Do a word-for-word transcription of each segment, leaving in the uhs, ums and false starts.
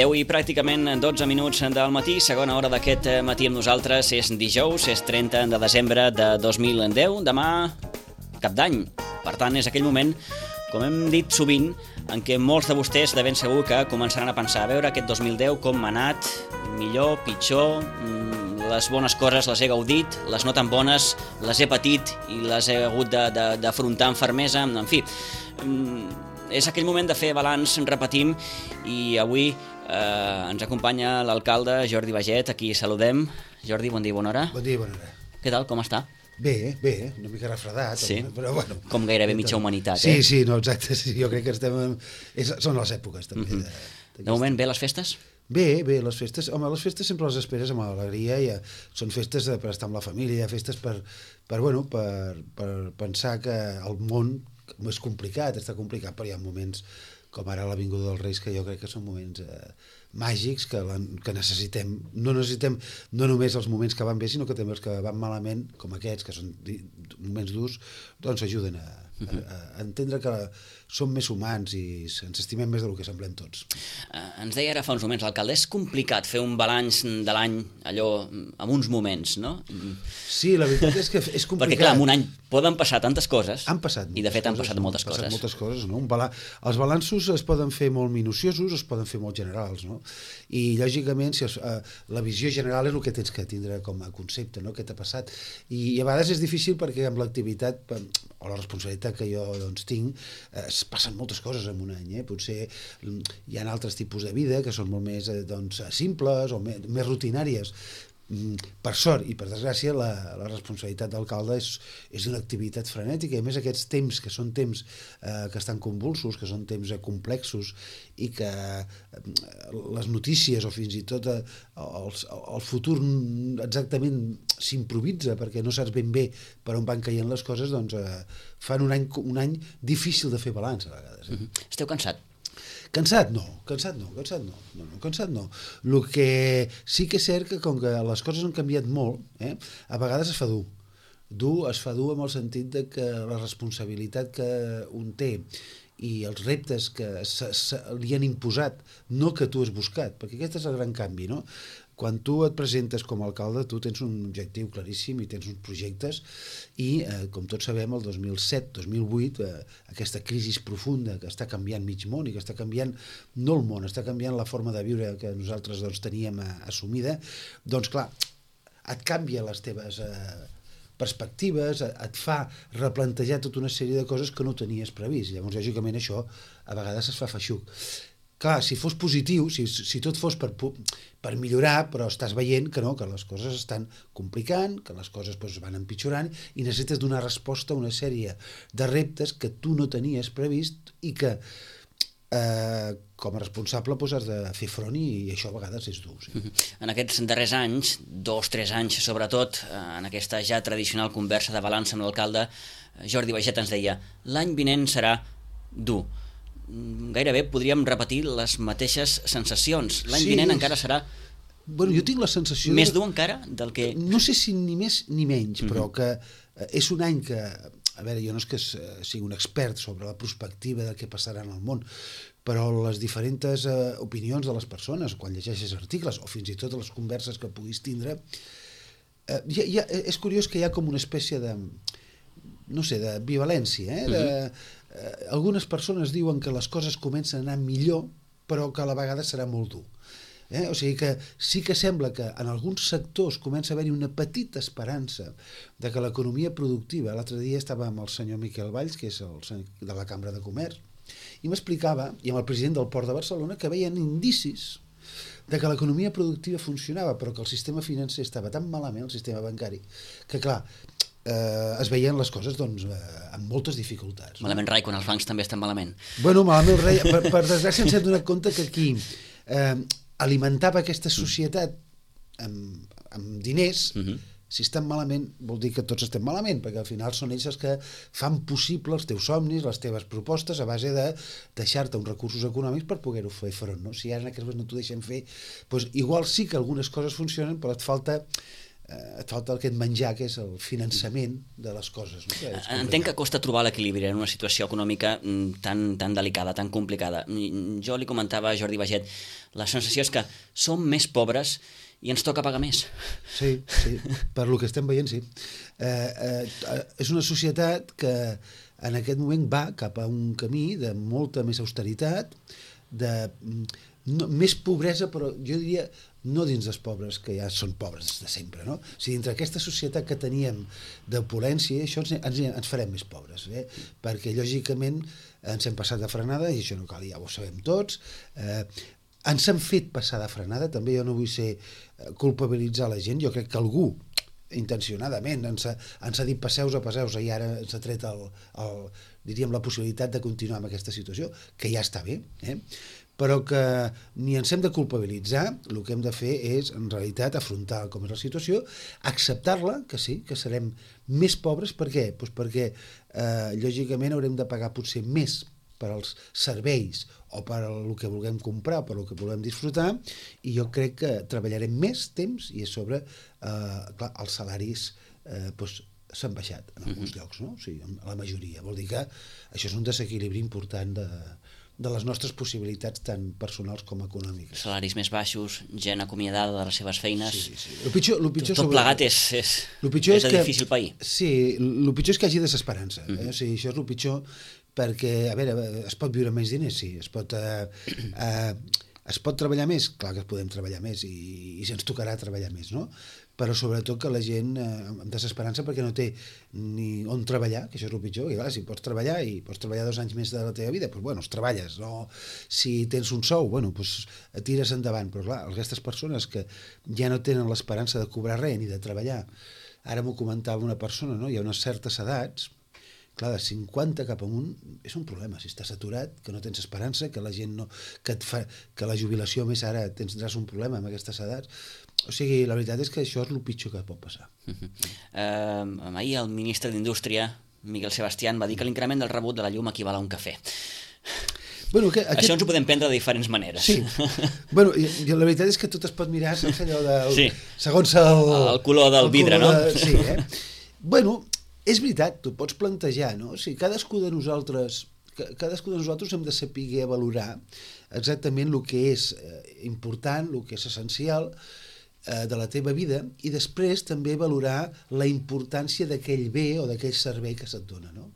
deu i pràcticament dotze minuts del matí, segona hora d'aquest matí amb nosaltres. És dijous, és trenta de desembre de dos mil deu, demà cap d'any. Per tant, és aquell moment, com hem dit sovint, en què molts de vostès de ben segur que començaran a pensar a veure aquest dos mil deu com m'ha anat, millor, pitjor, les bones coses les he gaudit, les no tan bones les he patit i les he hagut d'afrontar amb fermesa, en fi. És aquell moment de fer balanç, repetim, i avui eh, ens acompanya l'alcalde Jordi Baiget, a qui saludem. Jordi, bon dia i bona hora. Bon dia i bona hora. Què tal, com està? Bé, bé, una mica refredat, sí? Però bueno. Com gairebé mitja humanitat, sí, eh? Sí, sí, no, exacte, sí, jo crec que estem... En... És, són les èpoques, també. Uh-huh. de, de moment, bé les festes? Bé, bé, les festes, home, les festes sempre les esperes amb alegria, ja, són festes per estar amb la família, festes per, per, bueno, per, per pensar que el món és complicat, està complicat, però hi ha moments com ara l'Avinguda dels Reis que jo crec que són moments eh, màgics que, la, que necessitem, no necessitem no només els moments que van bé, sinó que també els que van malament, com aquests, que són moments durs, doncs ajuden a, a, a entendre que som més humans i ens estimem més del que semblem tots. Eh, ens deia ara fa uns moments l'alcalde, és complicat fer un balanç de l'any allò en uns moments, no? Sí, la veritat és que és complicat. Perquè clar, en un any poden passar tantes coses. Han passat i de fet han passat coses, moltes han passat coses. moltes coses, no? Un bala... Els balanços es poden fer molt minuciosos, es poden fer molt generals, no? I lògicament si es, eh, la visió general és el que tens que tindre com a concepte, no? Què t'ha passat? I, i a vegades és difícil perquè amb l'activitat o la responsabilitat que jo doncs, tinc eh, es passen moltes coses en un any, eh? Potser hi ha altres tipus de vida que són molt més eh, doncs, simples o més, més rutinàries. Per sort i per desgràcia la, la responsabilitat d'alcalde és, és una activitat frenètica i a més aquests temps que són temps eh, que estan convulsos, que són temps eh, complexos i que eh, les notícies o fins i tot eh, el, el futur exactament s'improvisa perquè no saps ben bé per on van caient les coses, doncs eh, fan un any, un any difícil de fer balanç a vegades. Eh? Mm-hmm. Esteu cansat? Cansat no, cansat no, cansat no, no, no, cansat no. El que sí que és cert que com que les coses han canviat molt, eh, a vegades es fa dur. Dur es fa dur amb el sentit de que la responsabilitat que un té i els reptes que se, se, li han imposat, no que tu has buscat, perquè aquest és el gran canvi, no? Quan tu et presentes com a alcalde, tu tens un objectiu claríssim i tens uns projectes i, eh, com tots sabem, el dos mil set dos mil vuit, eh, aquesta crisi profunda que està canviant mig món i que està canviant, no el món, està canviant la forma de viure que nosaltres doncs, teníem eh, assumida, doncs clar, et canvia les teves eh, perspectives, et fa replantejar tota una sèrie de coses que no tenies previst. Llavors, lògicament, això a vegades es fa feixuc. Clar, si fos positiu, si, si tot fos per, per millorar, però estàs veient que no, que les coses estan complicant, que les coses doncs, van empitjorant i necessites donar resposta a una sèrie de reptes que tu no tenies previst i que eh, com a responsable doncs, has de fer front i, i això a vegades és dur. Sí. En aquests darrers anys, dos, tres anys sobretot, en aquesta ja tradicional conversa de balanç amb l'alcalde, Jordi Baiget ens deia l'any vinent serà dur. Gairebé podríem repetir les mateixes sensacions. L'any sí, vinent encara serà bueno, jo tinc la sensació més de... dur encara del que... No sé si ni més ni menys, mm-hmm. però que és un any que... A veure, jo no és que sigui un expert sobre la perspectiva del que passarà en el món, però les diferents eh, opinions de les persones, quan llegeixes articles o fins i tot les converses que puguis tindre, eh, ja, ja, és curiós que hi ha com una espècie de... no sé, de bivalència, eh? De, eh, algunes persones diuen que les coses comencen a anar millor, però que a la vegada serà molt dur. Eh? O sigui que sí que sembla que en alguns sectors comença a haver-hi una petita esperança de que l'economia productiva, l'altre dia estava amb el senyor Miquel Valls, que és el senyor de la Cambra de Comerç, i m'explicava, i amb el president del Port de Barcelona, que veien indicis de que l'economia productiva funcionava, però que el sistema financer estava tan malament, el sistema bancari, que clar, eh, es veien les coses doncs, eh, amb moltes dificultats. Malament rai, quan els bancs també estan malament. Bueno, malament rai, per, per desgràcia ens hem donat compte que aquí eh, alimentava aquesta societat amb, amb diners, uh-huh. Si estan malament vol dir que tots estem malament, perquè al final són ells els que fan possible els teus somnis, les teves propostes a base de deixar-te uns recursos econòmics per poder-ho fer front, no? Si ara en aquest moment no t'ho deixem fer, doncs igual sí que algunes coses funcionen, però et falta eh, et falta aquest menjar, que és el finançament de les coses, no? Que entenc que costa trobar l'equilibri en una situació econòmica tan, tan delicada, tan complicada. Jo li comentava a Jordi Baget, la sensació és que som més pobres i ens toca pagar més. Sí, sí, per lo que estem veient, sí. Eh, eh, és una societat que en aquest moment va cap a un camí de molta més austeritat, de no, més pobresa, però jo diria no dins dels pobres, que ja són pobres de sempre, no? O sigui, dintre aquesta societat que teníem d'opulència, això ens, ens, ens farem més pobres, eh? Perquè lògicament ens hem passat de frenada, i això no cal, ja ho sabem tots, eh, ens han fet passar de frenada, també jo no vull ser culpabilitzar la gent, jo crec que algú intencionadament ens ha, ens ha dit passeu-vos a passeu-vos i ara ens ha tret el, el, diríem, la possibilitat de continuar amb aquesta situació, que ja està bé, eh? Però que ni ens hem de culpabilitzar, el que hem de fer és, en realitat, afrontar com és la situació, acceptar-la, que sí, que serem més pobres, per què? Pues perquè, eh, lògicament, haurem de pagar potser més per als serveis o per el que vulguem comprar o per el que vulguem disfrutar, i jo crec que treballarem més temps i a sobre eh, clar, els salaris eh, doncs, s'han baixat en alguns uh-huh. llocs, no? O sigui, en la majoria. Vol dir que això és un desequilibri important de, de les nostres possibilitats tant personals com econòmiques. Salaris més baixos, gent acomiadada de les seves feines... Sí, sí. Lo pitjor, lo pitjor tot, tot plegat és, és, és, és de difícil pair. Sí, el pitjor és que hi hagi desesperança. Eh? Uh-huh. O sigui, això és el pitjor, perquè, a veure, es pot viure menys diners, sí, es pot, eh, eh, es pot treballar més, clar que podem treballar més i, i ens tocarà treballar més, no? Però sobretot que la gent eh, amb desesperança perquè no té ni on treballar, que això és el pitjor, i clar, si pots treballar i pots treballar dos anys més de la teva vida, doncs bueno, treballes, no? Si tens un sou, bueno, doncs tires endavant, però clar, aquestes persones que ja no tenen l'esperança de cobrar res ni de treballar, ara m'ho comentava una persona, no? Hi ha unes certes edats, clar, de cinquanta cap amunt és un problema, si estàs aturat, que no tens esperança, que la gent no, que, et fa, que la jubilació més ara tindràs un problema amb aquestes edats. O sigui, la veritat és que això és el pitjor que pot passar. Uh-huh. uh, ahir el ministre d'Indústria, Miguel Sebastián, va dir que l'increment del rebut de la llum equival a un cafè. Bueno, que, aquest... Això ens ho podem prendre de diferents maneres. Sí. Bueno, i, i la veritat és que tot es pot mirar sense allò del... Sí. Segons el... El color del el vidre, color de... no? Sí, eh? Bueno, és veritat, tu pots plantejar, no? O sigui, cadascú de nosaltres, cadascú de nosaltres hem de saber valorar exactament el que és important, el que és essencial eh, de la teva vida, i després també valorar la importància d'aquell bé o d'aquell servei que se't dona, no?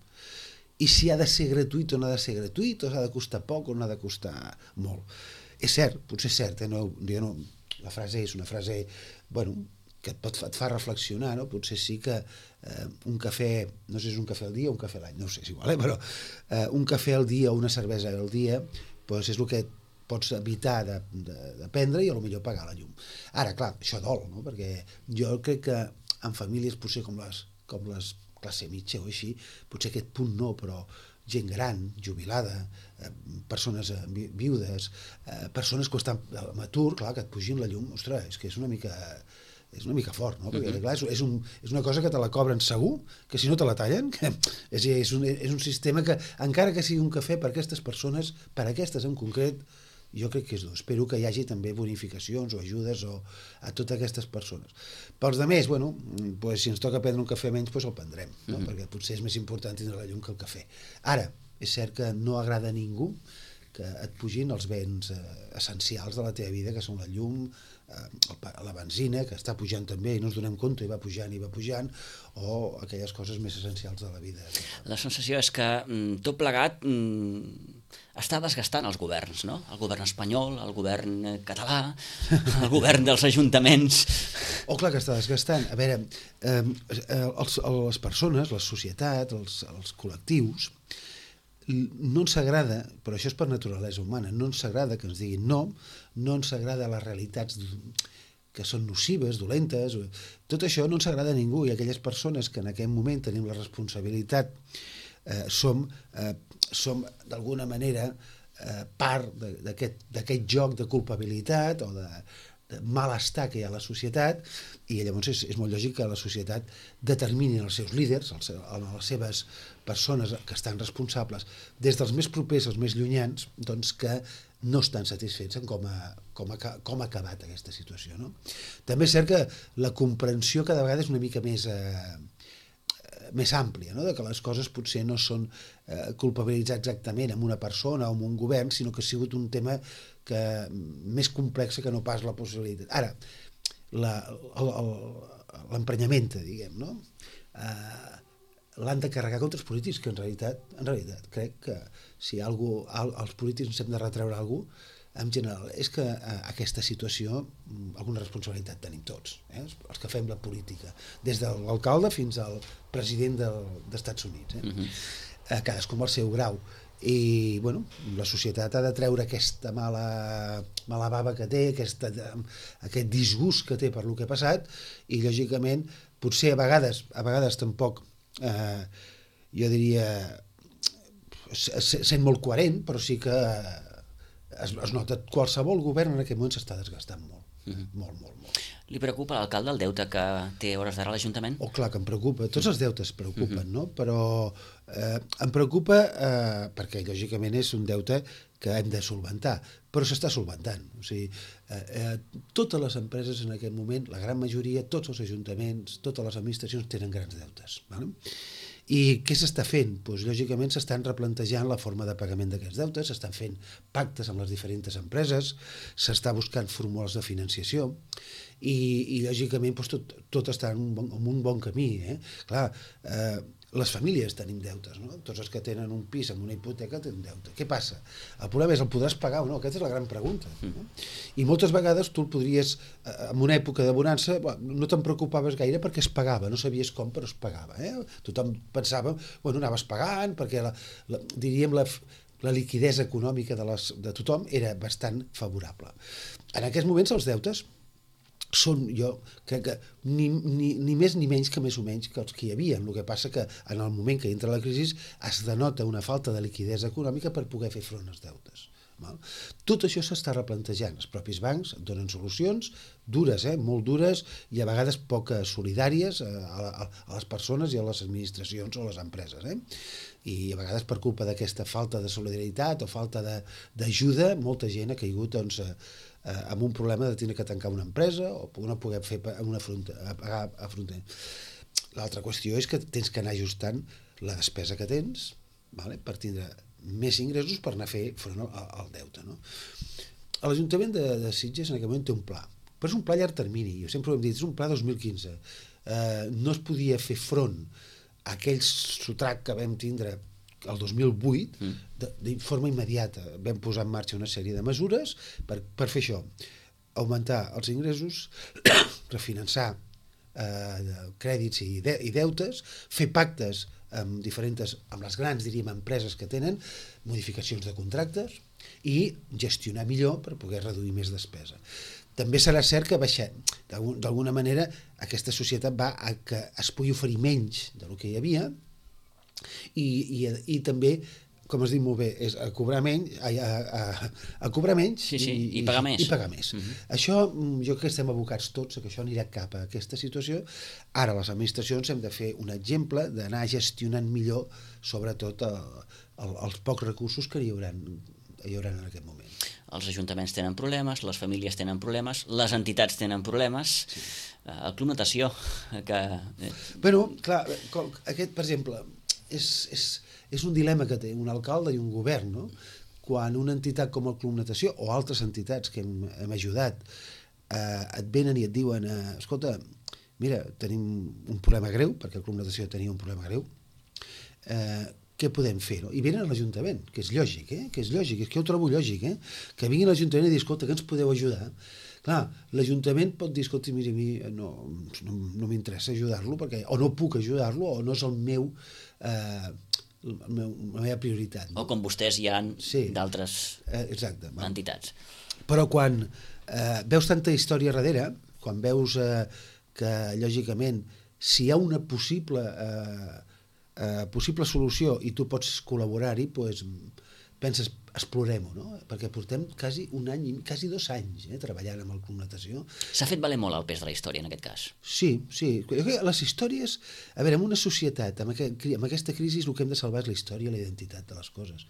I si ha de ser gratuït o no ha de ser gratuït, o ha de costar poc o no ha de costar molt. És cert, potser és cert, eh? No, jo no, la frase és una frase, bueno, que et, pot, et fa reflexionar, no? Potser sí que eh, un cafè, no sé si és un cafè al dia o un cafè a l'any, no ho sé, és igual, eh? Però eh, un cafè al dia o una cervesa al dia doncs és el que pots evitar de, de, de prendre i potser pagar la llum. Ara, clar, això dol, no? Perquè jo crec que en famílies potser com les, com les classe mitja o així, potser aquest punt no, però gent gran, jubilada, eh, persones eh, viudes, eh, persones que estan amb atur, clar, que et pugin la llum, ostres, és que és una mica... és una mica fort, no? Perquè, clar, és, és, un, és una cosa que te la cobren segur, que si no te la tallen, que és, és, un, és un sistema que, encara que sigui un cafè per aquestes persones, per aquestes en concret, jo crec que és dur. Espero que hi hagi també bonificacions o ajudes o a totes aquestes persones. Pels altres, bueno, pues, si ens toca prendre un cafè menys, pues el prendrem, no? Mm-hmm. Perquè potser és més important tindre la llum que el cafè. Ara, és cert que no agrada a ningú que et pugin els béns eh, essencials de la teva vida, que són la llum, eh, la benzina, que està pujant també i no ens donem compte i va pujant i va pujant, o aquelles coses més essencials de la vida. La sensació és que mm, tot plegat mm, està desgastant els governs, no? El govern espanyol, el govern català, el govern dels ajuntaments... Oh, clar que està desgastant. A veure, eh, els, les persones, la societat, els, els col·lectius, no ens agrada, però això és per naturalesa humana, no ens agrada que ens diguin no, no ens agrada les realitats que són nocives, dolentes, tot això no ens agrada a ningú, i aquelles persones que en aquest moment tenim la responsabilitat eh, som, eh, som d'alguna manera eh, part d'aquest joc de culpabilitat o de, de malestar que hi ha a la societat, i llavors és, és molt lògic que la societat determini els seus líders, els, les seves persones que estan responsables, des dels més propers als més llunyans, doncs que no estan satisfets en com ha, com ha, com ha acabat aquesta situació. No? També és cert que la comprensió cada vegada és una mica més, eh, més àmplia, no? De que les coses potser no són eh, culpabilitzar exactament amb una persona o amb un govern, sinó que ha sigut un tema que, més complex que no pas la possibilitat. Ara, l'emprenyament, diguem, no? Eh, l'han de carregar contra els polítics, que en realitat, en realitat crec que si algú, als polítics ens hem de retreure alguna cosa, en general, és que eh, aquesta situació, alguna responsabilitat tenim tots, eh? Els que fem la política, des de l'alcalde fins al president del, dels Estats Units, eh? Uh-huh. eh, cadascú amb el seu grau. I bueno, la societat ha de treure aquesta mala, mala bava que té, aquesta, aquest disgust que té per lo que ha passat, i lògicament potser a vegades, a vegades tampoc eh, jo diria sent molt coherent, però sí que es, es nota que qualsevol govern en aquest moment s'està desgastant molt. Mm-hmm. Molt, molt, molt. Li preocupa l'alcalde el deute que té a hores d'ara l'Ajuntament? Oh, clar que em preocupa. Tots els deutes preocupen, mm-hmm. no? Però eh, em preocupa eh, perquè, lògicament, és un deute que hem de solventar, però s'està solventant. O sigui, eh, eh, totes les empreses en aquest moment, la gran majoria, tots els ajuntaments, totes les administracions tenen grans deutes. ¿Vale? I què s'està fent? Pues, lògicament s'estan replantejant la forma de pagament d'aquests deutes, s'estan fent pactes amb les diferents empreses, s'està buscant fórmules de financiació i, i lògicament pues, tot, tot està en un bon, en un bon camí. Eh? Clar, eh, les famílies tenim deutes, no? Tots els que tenen un pis amb una hipoteca tenen deute. Què passa? El problema és, el podràs pagar o no? Aquesta és la gran pregunta. No? I moltes vegades tu el podries, en una època de bonança, no te'n preocupaves gaire perquè es pagava, no sabies com, però es pagava. Eh? Tothom pensava, bueno, anaves pagant, perquè la, la, diríem la, la liquidesa econòmica de, les, de tothom era bastant favorable. En aquests moments els deutes són, jo crec que ni, ni, ni més ni menys que més o menys que els que hi havia. El que passa que en el moment que entra la crisi es denota una falta de liquidesa econòmica per poder fer front als deutes. Val? Tot això s'està replantejant. Els propis bancs donen solucions dures, eh? Molt dures, i a vegades poc solidàries a, a, a les persones i a les administracions o a les empreses. Eh? I a vegades per culpa d'aquesta falta de solidaritat o falta d'ajuda, molta gent ha caigut doncs, eh, amb un problema de tenir que tancar una empresa o no poder fer una frontera, pagar a frontera. L'altra qüestió és que tens que anar ajustant la despesa que tens, vale? Per tindre més ingressos per anar a fer front al, al deute. No? L'Ajuntament de, de Sitges en aquest moment té un pla, però és un pla a llarg termini, jo sempre ho hem dit, és un pla dos mil quinze. Eh, no es podia fer front a aquell sotrac que vam tindre el dos mil vuit, mm. de, de forma immediata. Vam posar en marxa una sèrie de mesures per, per fer això, augmentar els ingressos, refinançar eh, crèdits i, de, i deutes, fer pactes amb diferents, amb les grans, diríem, empreses que tenen, modificacions de contractes i gestionar millor per poder reduir més despesa. També serà cert que baixar, d'alguna manera, aquesta societat va a que es pugui oferir menys del que hi havia i, i, i també, com es diu molt bé, és a cobrar menys, a, a, a cobrar menys sí, sí, i, i pagar més. I pagar més. Uh-huh. Això, jo crec que estem abocats tots a que això anirà cap a aquesta situació. Ara, les administracions hem de fer un exemple d'anar gestionant millor, sobretot, el, el, els pocs recursos que hi haurà, hi haurà en aquest moment. Els ajuntaments tenen problemes, les famílies tenen problemes, les entitats tenen problemes, sí. El Club Natació, que... Bueno, clar, aquest, per exemple, és, és, és un dilema que té un alcalde i un govern, no? Quan una entitat com el Club Natació o altres entitats que hem, hem ajudat eh, et venen i et diuen eh, escolta, mira, tenim un problema greu, perquè el Club Natació tenia un problema greu, eh, què podem fer? No? I venen a l'Ajuntament, que és lògic, eh? que és lògic, és que jo ho trobo lògic, eh? Que vinguin a l'Ajuntament i dir, escolta, que ens podeu ajudar? Clar, l'Ajuntament pot dir, escolta, mira, a mi no, no, no m'interessa ajudar-lo, perquè o no puc ajudar-lo, o no és el meu, eh, el meu la meva prioritat. No? O com vostès hi ha sí. d'altres eh, exacte, entitats. Però quan eh, veus tanta història darrere, quan veus eh, que, lògicament, si hi ha una possible, eh, eh, possible solució i tu pots col·laborar-hi, doncs, penses, explorem-ho, no? Perquè portem quasi un any, quasi dos anys eh, treballant amb el Club Natació. S'ha fet valer molt el pes de la història, en aquest cas. Sí, sí. Les històries... A veure, en una societat, amb, aquest, amb aquesta crisi, el que hem de salvar és la història i la identitat de les coses.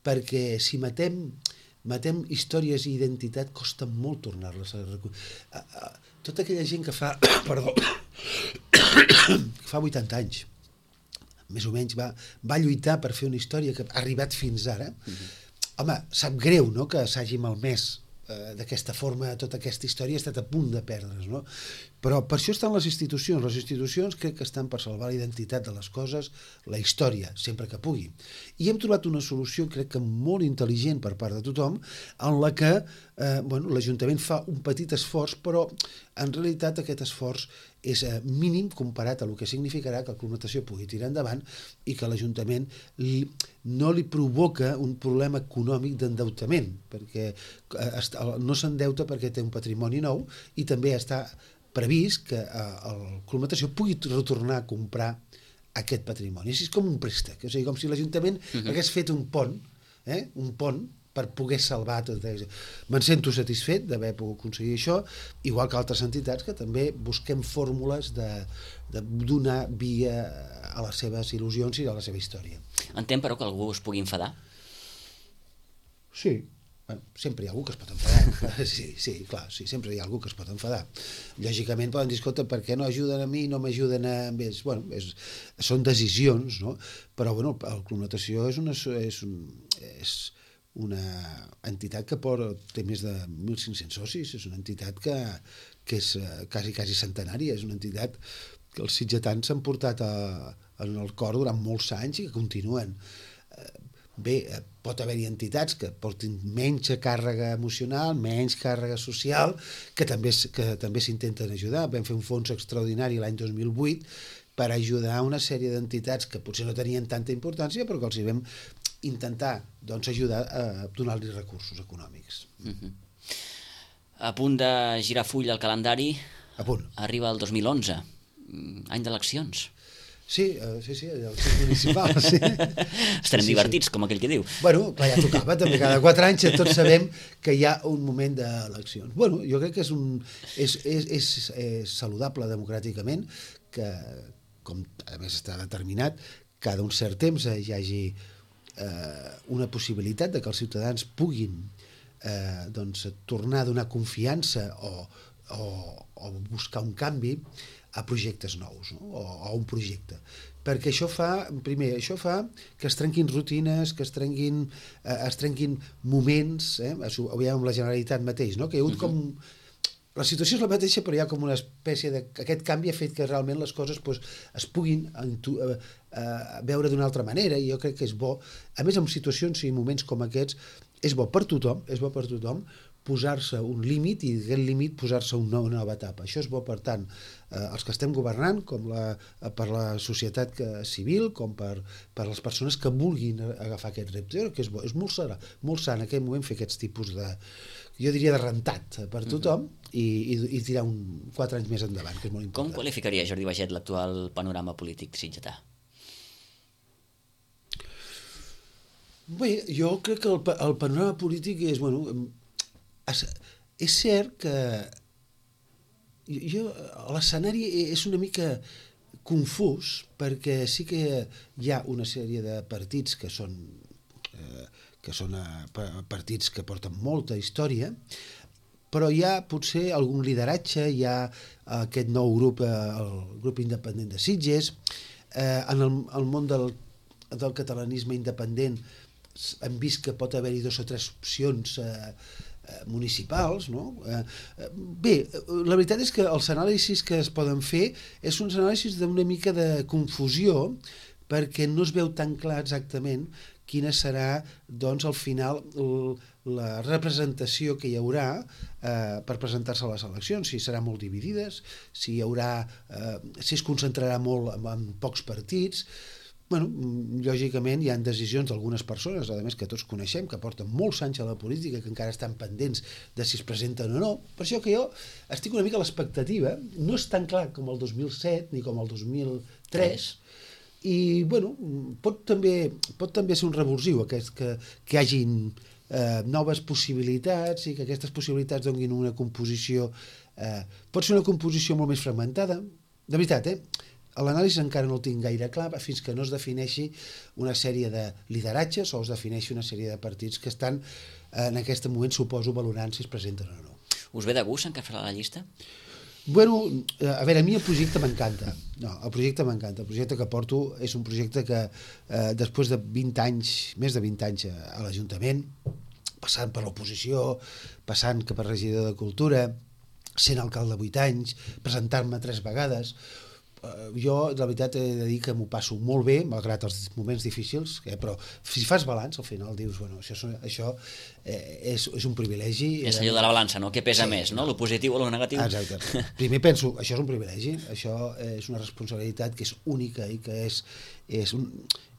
Perquè si matem, matem històries i identitat, costa molt tornar-les a recollir. Tota aquella gent que fa... Perdó. que fa vuitanta anys, més o menys, va, va lluitar per fer una història que ha arribat fins ara. Mm-hmm. Home, sap greu, no?, que s'hagi malmès eh, d'aquesta forma tota aquesta història, ha estat a punt de perdre's, no? Però per això estan les institucions. Les institucions crec que estan per salvar la identitat de les coses, la història, sempre que pugui. I hem trobat una solució, crec que molt intel·ligent per part de tothom, en la que eh, bueno, l'Ajuntament fa un petit esforç, però en realitat aquest esforç és eh, mínim comparat a el que significarà que el Club Natació pugui tirar endavant i que l'Ajuntament li, no li provoca un problema econòmic d'endeutament, perquè eh, no s'endeuta perquè té un patrimoni nou i també està previst que eh, el Club Natació pugui retornar a comprar aquest patrimoni. Així és com un préstec, o sigui, com si l'Ajuntament uh-huh. hagués fet un pont, eh, un pont per poder salvar tot això. Me'n sento satisfet d'haver pogut aconseguir això, igual que altres entitats que també busquem fórmules de, de donar via a les seves il·lusions i a la seva història. Entenc, però, que algú es pugui enfadar? Sí. Bueno, sempre hi ha algú que es pot enfadar. Sí, sí, clar, sí, sempre hi ha algú que es pot enfadar. Lògicament poden dir, escolta, per què no ajuden a mi, no m'ajuden a ells? Bueno, és, són decisions, no? Però, bueno, el Club Natació és una... És un, és, una entitat que porta, té més de mil cinc-cents socis, és una entitat que, que és quasi, quasi centenària, és una entitat que els sitgetans s'han portat a, en el cor durant molts anys i que continuen. Bé, pot haver-hi entitats que portin menys càrrega emocional, menys càrrega social, que també, que també s'intenten ajudar. Vam fer un fons extraordinari l'any dos mil vuit per ajudar una sèrie d'entitats que potser no tenien tanta importància, però que els hi vam intentar doncs, ajudar a donar-li recursos econòmics. Uh-huh. A punt de girar full al calendari, a punt. Arriba el dos mil onze, any d'eleccions. Sí, uh, sí, sí, eleccions municipals. Sí. Estarem sí, divertits, sí. Com aquell que diu. Bueno, clar, ja tocava, també cada quatre anys tots sabem que hi ha un moment d'eleccions. Bueno, jo crec que és, un, és, és, és, és saludable democràticament que, com a més està determinat, cada un cert temps hi hagi eh, una possibilitat de que els ciutadans puguin eh, doncs, tornar a donar confiança o, o, o buscar un canvi a projectes nous, no? o a un projecte. Perquè això fa, primer, això fa que es trenquin rutines, que es trenquin, eh, es trenquin moments, eh? Ho veiem amb la Generalitat mateix, no? Que hi ha hagut com... La situació és la mateixa, però hi ha com una espècie de... Aquest canvi ha fet que realment les coses pues, es puguin entu... eh, eh, veure d'una altra manera, i jo crec que és bo. A més, en situacions i moments com aquests, és bo per tothom, és bo per tothom posar-se un límit i d'aquest límit posar-se una nova etapa. Això és bo, per tant, eh, els que estem governant, com la, per la societat que, civil, com per, per les persones que vulguin agafar aquest repte, que és bo. És molt sana, molt sana en aquell moment fer aquests tipus de, jo diria, de rentat per tothom, uh-huh. i, i, i tirar un, quatre anys més endavant, que és molt important. Com qualificaria, Jordi Baiget, l'actual panorama polític sitgetà? Bé, jo crec que el, el panorama polític és, bueno, és, és cert que jo, l'escenari és una mica confús, perquè sí que hi ha una sèrie de partits que són, eh, que són eh, partits que porten molta història, però hi ha potser algun lideratge, hi ha aquest nou grup, el grup independent de Sitges, eh, en el, el món del, del catalanisme independent hem vist que pot haver-hi dos o tres opcions eh, municipals, no? Eh, bé, la veritat és que els anàlisis que es poden fer és uns anàlisis d'una mica de confusió, perquè no es veu tan clar exactament quina serà, doncs, al final la representació que hi haurà eh, per presentar-se a les eleccions, si serà molt dividides, si hi haurà, eh, si es concentrarà molt en, en pocs partits. bueno, lògicament hi ha decisions d'algunes persones, a més que tots coneixem, que porten molts anys a la política, que encara estan pendents de si es presenten o no. Per això que jo estic una mica a l'expectativa, no és tan clar com el dos mil set ni com el dos mil tres, i bueno, pot també, pot també ser un revulsiu aquest, que, que hi hagin eh, noves possibilitats i que aquestes possibilitats donin una composició, eh, pot ser una composició molt més fragmentada, de veritat, eh? L'anàlisi encara no el tinc gaire clar fins que no es defineixi una sèrie de lideratges o es defineixi una sèrie de partits que estan en aquest moment, suposo, valorant si es presenten o no. Us ve de gust encapçalar la llista? Bueno, a veure, a mi el projecte m'encanta. No, el projecte m'encanta. El projecte que porto és un projecte que eh, després de vint anys, més de vint anys a l'Ajuntament, passant per l'oposició, passant per regidor de Cultura, sent alcalde vuit anys, presentar-me tres vegades, jo, de veritat, he de dir que m'ho passo molt bé, malgrat els moments difícils, eh, però si fas balanç, al final dius, bueno, això, això eh, és, és un privilegi. És allò de la balança, no? Què pesa sí, més, no? Lo positiu o lo negatiu? Exacte. Primer penso, això és un privilegi, això és una responsabilitat que és única i que és, és, un,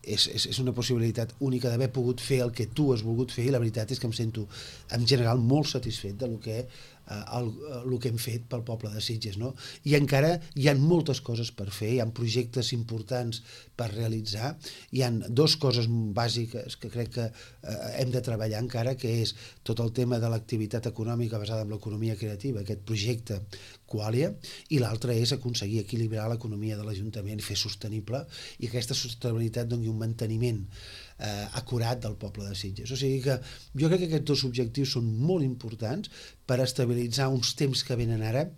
és, és, és una possibilitat única d'haver pogut fer el que tu has volgut fer, i la veritat és que em sento, en general, molt satisfet de lo que El, el que hem fet pel poble de Sitges, no? I encara hi ha moltes coses per fer, hi ha projectes importants per realitzar, hi ha dues coses bàsiques que crec que eh, hem de treballar encara, que és tot el tema de l'activitat econòmica basada en l'economia creativa, aquest projecte Qualia, i l'altre és aconseguir equilibrar l'economia de l'Ajuntament i fer sostenible, i aquesta sostenibilitat doni un manteniment eh, acurat del poble de Sitges. O sigui que jo crec que aquests dos objectius són molt importants per estabilitzar uns temps que venen ara,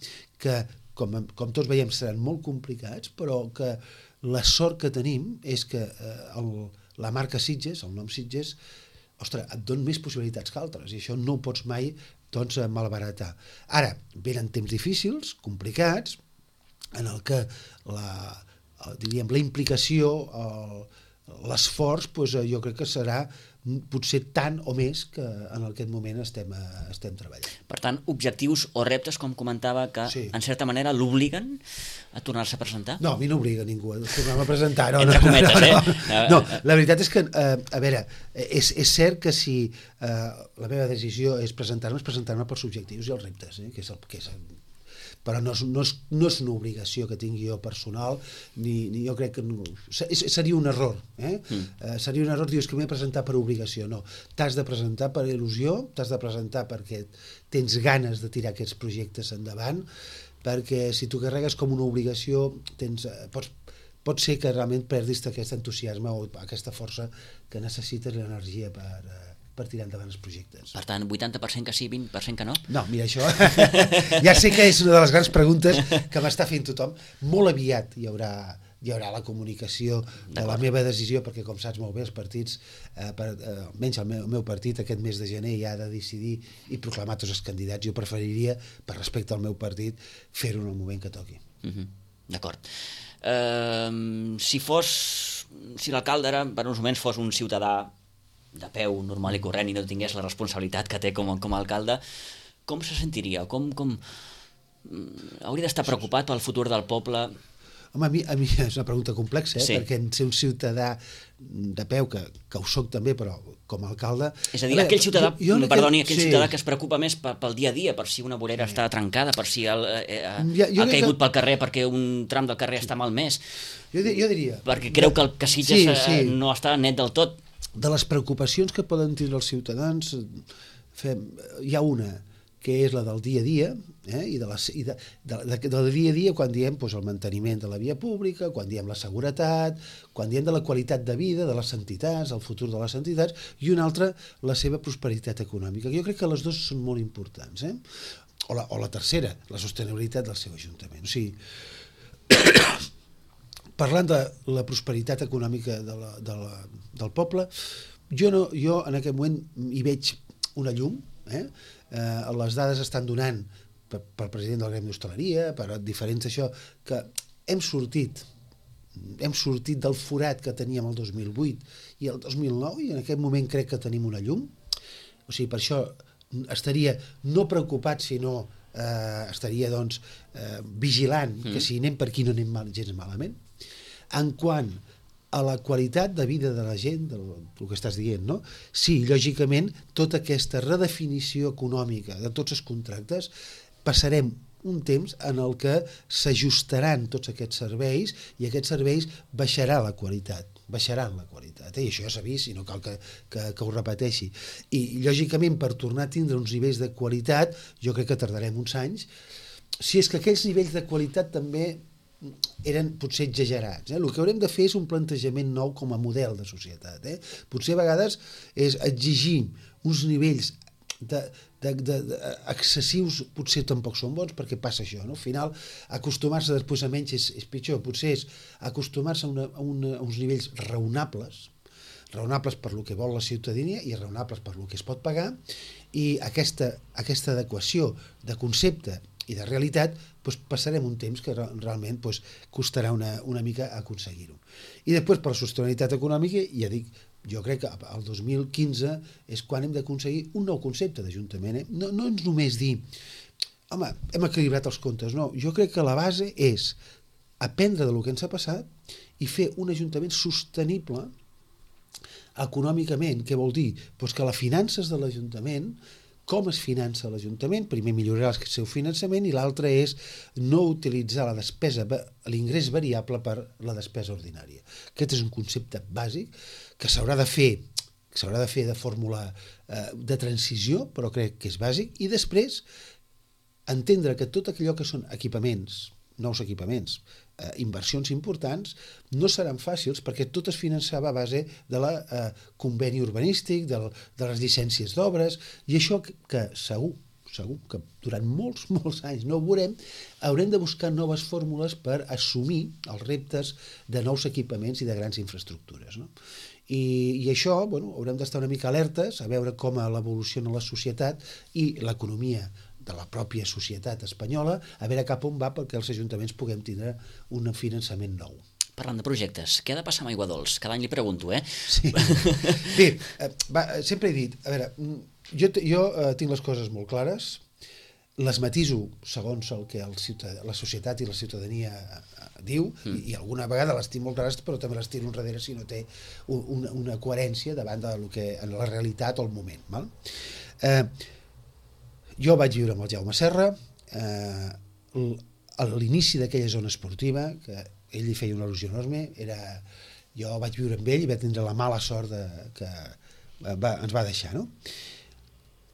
que com, com tots veiem seran molt complicats, però que la sort que tenim és que eh, el, la marca Sitges, el nom Sitges, ostres, et dona més possibilitats que altres, i això no ho pots mai doncs, malbaratar. Ara, venen temps difícils, complicats, en el que la, diríem, la implicació, el, l'esforç, doncs, jo crec que serà potser tant o més que en aquest moment estem, estem treballant. Per tant, objectius o reptes, com comentava, que sí, en certa manera l'obliguen a tornar-se a presentar? No, a mi no obliga ningú a tornar-me a presentar. No, Entre no, cometes, no, eh? No, no, la veritat és que, eh, a veure, és, és cert que si eh, la meva decisió és presentar-me, és presentar-me pels objectius i els reptes, eh, que és el que és el, però no és, no, és, no és una obligació que tingui jo personal, ni, ni jo crec que no, seria un error, eh? Mm. Eh, seria un error dir que m'he de presentar per obligació, no, t'has de presentar per il·lusió, t'has de presentar perquè tens ganes de tirar aquests projectes endavant, perquè si tu carregues com una obligació, tens, pots, pot ser que realment perdis aquest entusiasme o aquesta força que necessites, l'energia per... per tirar endavant els projectes. Per tant, vuitanta per cent que sí, vint per cent que no? No, mira, això ja sé que és una de les grans preguntes que m'està fent tothom. Molt aviat hi haurà, hi haurà la comunicació de la meva decisió, perquè com saps molt bé els partits, eh, per, eh, almenys el meu, el meu partit aquest mes de gener ja ha de decidir i proclamar tots els candidats. Jo preferiria, per respecte al meu partit, fer-ho en el moment que toqui. Uh-huh. D'acord. Uh, si fos, si l'alcalde ara, per uns moments, fos un ciutadà de peu, normal i corrent, i no tingués la responsabilitat que té com, com a alcalde, com se sentiria? Com, com... Hauria d'estar preocupat pel futur del poble? Home, a mi, a mi és una pregunta complexa, eh? Sí. Perquè en ser un ciutadà de peu, que, que ho soc també, però com a alcalde... És a dir, a veure, aquell ciutadà, jo, jo perdoni, aquell sí. ciutadà que es preocupa més pel dia a dia, per si una vorera sí. està trencada, per si el, eh, ja, ha caigut que... pel carrer perquè un tram del carrer sí. està malmès. Jo, jo diria... Perquè creu que el que Sitges sí, sí. no està net del tot. De les preocupacions que poden tindre els ciutadans, fem, hi ha una, que és la del dia a dia, eh? I, de les, i de, de, de, del dia a dia quan diem doncs, el manteniment de la via pública, quan diem la seguretat, quan diem de la qualitat de vida de les entitats, el futur de les entitats, i una altra, la seva prosperitat econòmica. Jo crec que les dues són molt importants. Eh? O, la, o la tercera, la sostenibilitat del seu ajuntament. O sigui, parlant de la prosperitat econòmica de la, de la, del poble, jo, no, jo en aquest moment hi veig una llum. Eh? Eh, les dades estan donant per, pel president del Gremi d'Hostaleria, per diferents això, que hem sortit, hem sortit del forat que teníem el dos mil vuit i el dos mil nou, i en aquest moment crec que tenim una llum. O sigui, per això estaria no preocupat, sinó eh, estaria doncs, eh, vigilant mm. que si anem per aquí no anem mal, gens malament. En quant a la qualitat de vida de la gent, del, del que estàs dient, no? Sí, lògicament, tota aquesta redefinició econòmica de tots els contractes, passarem un temps en el que s'ajustaran tots aquests serveis i aquests serveis baixarà la qualitat, baixaran la qualitat, eh? I això ja s'ha vist i no cal que, que, que ho repeteixi. I, lògicament, per tornar a tindre uns nivells de qualitat, jo crec que tardarem uns anys, si és que aquells nivells de qualitat també eren potser exagerats. Eh? El que haurem de fer és un plantejament nou com a model de societat. Eh? Potser a vegades és exigir uns nivells de, de, de, de, excessius, potser tampoc són bons, perquè passa això, no? Al final, acostumar-se després a menys és, és pitjor, potser és acostumar-se a, una, a, una, a uns nivells raonables, raonables per lo que vol la ciutadania i raonables per lo que es pot pagar, i aquesta, aquesta adequació de concepte i de realitat, doncs passarem un temps que realment doncs, costarà una, una mica aconseguir-ho. I després, per la sostenibilitat econòmica, ja dic, jo crec que el dos mil quinze és quan hem d'aconseguir un nou concepte d'Ajuntament. Eh? No, no ens només dir, home, hem equilibrat els comptes, no. Jo crec que la base és aprendre del que ens ha passat i fer un Ajuntament sostenible econòmicament. Què vol dir? Pues que les finances de l'Ajuntament, com es finança l'Ajuntament, primer millorar el seu finançament i l'altre és no utilitzar la despesa, l'ingrés variable per la despesa ordinària. Aquest és un concepte bàsic que s'haurà de fer, que s'haurà de fer de fórmula eh, de transició, però crec que és bàsic, i després entendre que tot allò que són equipaments, nous equipaments, eh, inversions importants, no seran fàcils perquè tot es finançava a base de la eh, conveni urbanístic, del, de les llicències d'obres, i això que, que segur, segur que durant molts, molts anys no ho veurem, haurem de buscar noves fórmules per assumir els reptes de nous equipaments i de grans infraestructures, no? I, i això, bueno, haurem d'estar una mica alertes a veure com evoluciona la societat i l'economia de la pròpia societat espanyola, a veure cap on va perquè els ajuntaments puguem tindre un finançament nou. Parlant de projectes, què ha de passar amb Aigua Dols? Cada any li pregunto, eh? Sí. Bé, va, sempre he dit, a veure, jo, jo eh, tinc les coses molt clares, les matiso segons el que el ciutadà, la societat i la ciutadania diu, mm. i, i alguna vegada les tinc molt clares, però també les tiro enrere si no té una, una coherència davant de lo que, en la realitat o el moment. Val? Eh, jo vaig viure amb el Jaume Serra, eh, a l'inici d'aquella zona esportiva, que ell hi feia una al·lusió enorme, era, jo vaig viure amb ell i vaig tindre la mala sort de, que va, ens va deixar, no?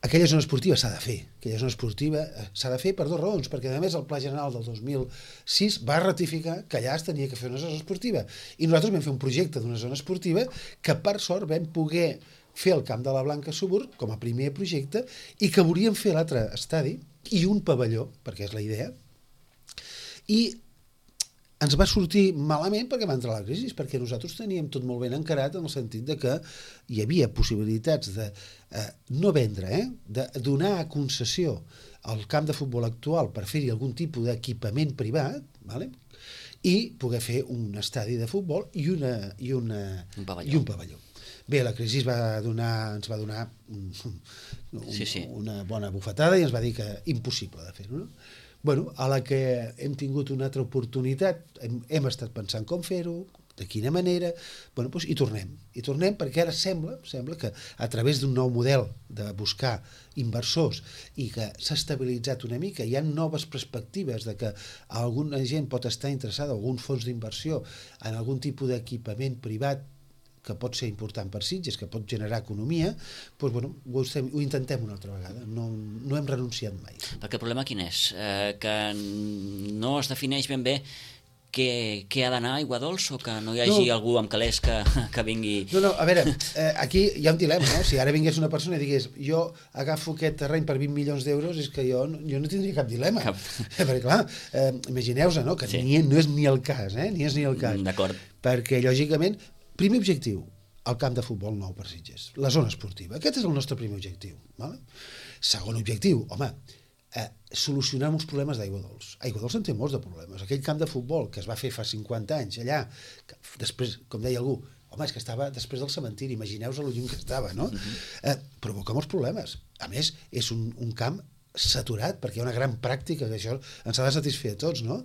Aquella zona esportiva s'ha de fer, aquella zona esportiva s'ha de fer per dues raons, perquè a més el Pla General del dos mil sis va ratificar que allà es tenia que fer una zona esportiva, i nosaltres vam fer un projecte d'una zona esportiva que per sort vam poder fer el Camp de la Blanca Subur com a primer projecte i que volíem fer l'altre estadi i un pavelló, perquè és la idea, i ens va sortir malament perquè va entrar la crisi, perquè nosaltres teníem tot molt ben encarat en el sentit de que hi havia possibilitats de eh, no vendre, eh, de donar a concessió al camp de futbol actual per fer-hi algun tipus d'equipament privat, vale? I poder fer un estadi de futbol i, una, i, una, un pavelló. i un pavelló. Bé, la crisi va donar, ens va donar un, un, sí, sí. una bona bufetada i ens va dir que impossible de fer-ho, no? Bueno, a la que hem tingut una altra oportunitat, hem, hem estat pensant com fer-ho, de quina manera, bueno, doncs hi tornem. Hi tornem perquè ara sembla, sembla que a través d'un nou model de buscar inversors i que s'ha estabilitzat una mica, hi ha noves perspectives de que alguna gent pot estar interessada, alguns fons d'inversió en algun tipus d'equipament privat que pot ser important per Sitges, que pot generar economia, doncs, bueno, ho, estem, ho intentem una altra vegada, no, no hem renunciat mai. Perquè el problema quin és? Eh, que no es defineix ben bé què, què ha d'anar a Aigua Dols o que no hi hagi no. algú amb calés que, que vingui... No, no, a veure, eh, aquí hi ha un dilema, no? Si ara vingués una persona i digués jo agafo aquest terreny per vint milions d'euros, és que jo, jo no tindria cap dilema. Cap. Perquè, clar, eh, imagineu-vos, no? Que sí. ni, no és ni el cas, eh? Ni és ni el cas. D'acord. Perquè, lògicament, primer objectiu, el camp de futbol nou per Sitges, la zona esportiva. Aquest és el nostre primer objectiu. Vale? Segon objectiu, home, eh, solucionar uns problemes d'Aigua Dols. Aigua Dols en té molts de problemes. Aquell camp de futbol que es va fer fa cinquanta anys allà, que després, com deia algú, home, és que estava després del cementiri, imagineu-vos el lluny que estava, no? Uh-huh. eh, provoca molts problemes. A més, és un, un camp saturat, perquè hi ha una gran pràctica que això ens ha de satisfer a tots, no?